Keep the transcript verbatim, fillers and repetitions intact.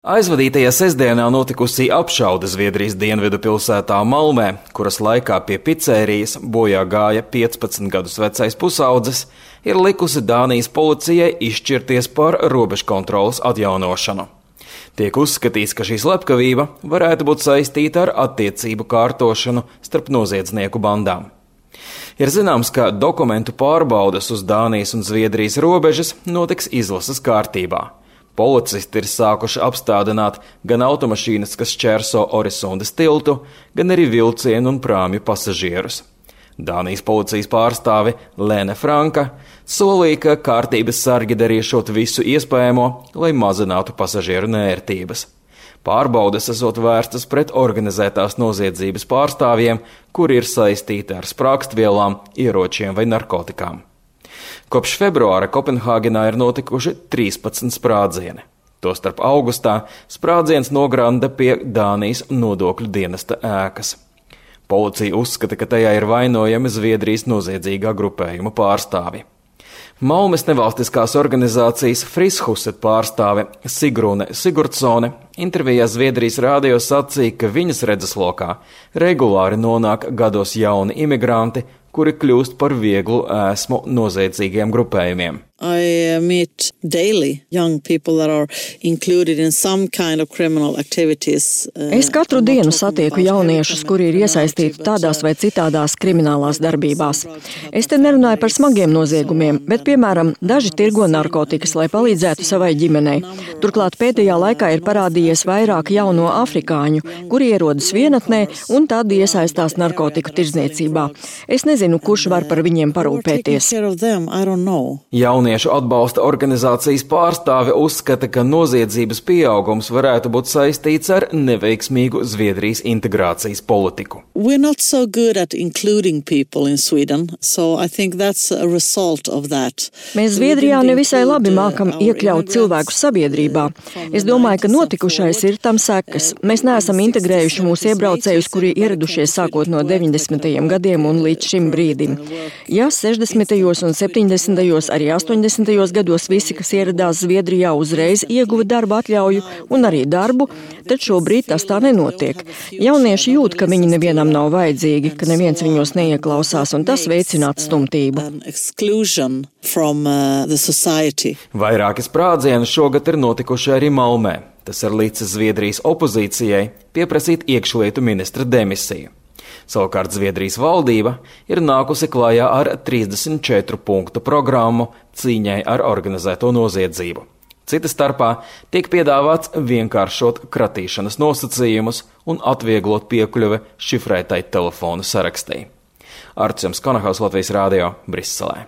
Aizvadītajā sestdienā notikusi apšaude Zviedrijas dienvidu pilsētā Malmē, kuras laikā pie picērijas bojā gāja piecpadsmit gadus vecais pusaudzis, ir likusi Dānijas policijai izšķirties par robežkontroles atjaunošanu. Tiek uzskatīts, ka šī slepkavība varētu būt saistīta ar attiecību kārtošanu starp noziedznieku bandām. Ir zināms, ka dokumentu pārbaudes uz Dānijas un Zviedrijas robežas notiks izlases kārtībā. Policisti ir sākuši apstādināt gan automašīnas, kas šķērso Orisundas tiltu, gan arī vilcienu un prāmju pasažierus. Dānijas policijas pārstāve Lene Franka solīja, ka kārtības sargi darīšot visu iespējamo, lai mazinātu pasažieru nērtības. Pārbaudes esot vērstas pret organizētās noziedzības pārstāvjiem, kuri ir saistīti ar sprākstvielām, ieročiem vai narkotikām. Kopš februāra Kopenhāgenā ir notikuši trīspadsmit sprādzieni. Tostarp augustā sprādziens nogranda pie Dānijas nodokļu dienesta ēkas. Policija uzskata, ka tajā ir vainojami Zviedrijas noziedzīgā grupējuma pārstāvi. Malmes nevalstiskās organizācijas Friskhuset pārstāve Sigrune Sigurdsone intervijā Zviedrijas rādio sacīja, ka viņas redzeslokā regulāri nonāk gados jauni imigranti, kuri kļūst par vieglu ēsmu noziedzīgiem grupējumiem. I meet daily young people that are included in some kind of criminal activities. Es katru dienu satieku jauniešus, kuri ir iesaistīti tādās vai citādās kriminālās darbībās. Es te nerunāju par smagiem noziegumiem, bet, piemēram, daži tirgo narkotikas, lai palīdzētu savai ģimenei. Turklāt pēdējā laikā ir parādījies vairāk jauno afrikāņu, kuri ierodas vienatnē un tad iesaistās narkotiku tirdzniecībā. Es nezinu, kurš var par viņiem parūpēties. Jauniešu atbalsta organizācijas pārstāve uzskata, ka noziedzības pieaugums varētu būt saistīts ar neveiksmīgu Zviedrijas integrācijas politiku. We're not so good at including people in Sweden, so I think that's a result of that. Mēs Zviedrijā nevisai labi mākam iekļaut cilvēkus sabiedrībā. Es domāju, ka notikušais ir tam sekas. Mēs neesam integrējuši mūsu iebraucējus, kuri ieradušies sākot no deviņdesmitajiem gadiem un līdz šim brīdim. Ja sešdesmitajos un septiņdesmitajos arī astoņdesmitajos gados visi, kas ieradās Zviedrijā, uzreiz ieguva darba atļauju un arī darbu, tad šobrīd tas tā nenotiek. Jaunieši jūt, ka viņi nevienam nav vajadzīgi, ka neviens viņos neieklausās, un tas veicina atstumtību. Vairāki sprādzieni šogad ir notikuši arī Malmē. Tas ir līdzis Zviedrijas opozīcijai pieprasīt iekšlietu ministra demisiju. Savukārt Zviedrijas valdība ir nākusi klājā ar trīsdesmit četru punktu programmu cīņai ar organizēto noziedzību. Cita starpā tiek piedāvāts vienkāršot kratīšanas nosacījumus un atvieglot piekļuve šifrētai telefonu sarakstī. Artjums Konahaus, Latvijas Rādio, Briselē.